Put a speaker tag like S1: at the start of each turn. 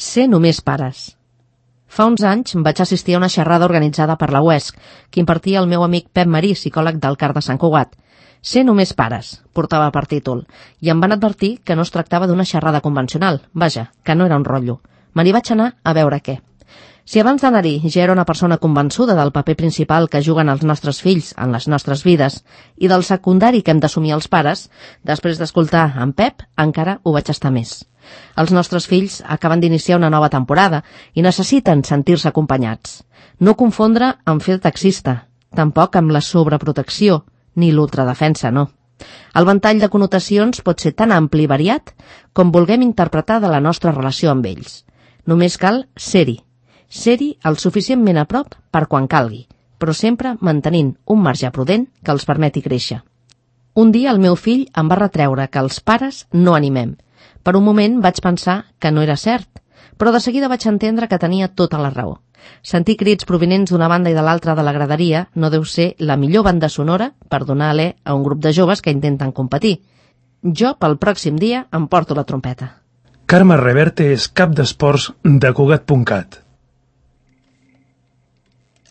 S1: Ser només pares. Fa uns anys vaig assistir a una xerrada organitzada per la UESC, que impartia el meu amic Pep Marí, psicòleg del CAR de Sant Cugat. Ser només pares, portava per títol, i em van advertir que no es tractava d'una xerrada convencional, vaja, que no era un rotllo. Me n'hi vaig anar a veure què. Si abans d'anar-hi ja era una persona convençuda del paper principal que juguen els nostres fills en les nostres vides i del secundari que hem d'assumir els pares, després d'escoltar en Pep encara ho vaig estar més. Els nostres fills acaben d'iniciar una nova temporada i necessiten sentir-se acompanyats. No confondre amb fer taxista, tampoc amb la sobreprotecció, ni l'ultradefensa, no. El ventall de connotacions pot ser tan ampli i variat com vulguem interpretar de la nostra relació amb ells. Només cal ser-hi. Ser-hi el suficientment a prop per quan calgui, però sempre mantenint un marge prudent que els permeti créixer. Un dia el meu fill em va retreure que els pares no animem. Per un moment vaig pensar que no era cert, però de seguida vaig entendre que tenia tota la raó. Sentir crits provinents d'una banda i de l'altra de la graderia no deu ser la millor banda sonora per donar alè a un grup de joves que intenten competir. Jo, pel pròxim dia, em porto la trompeta.
S2: Carme Reverte és cap d'esports de Cugat.cat.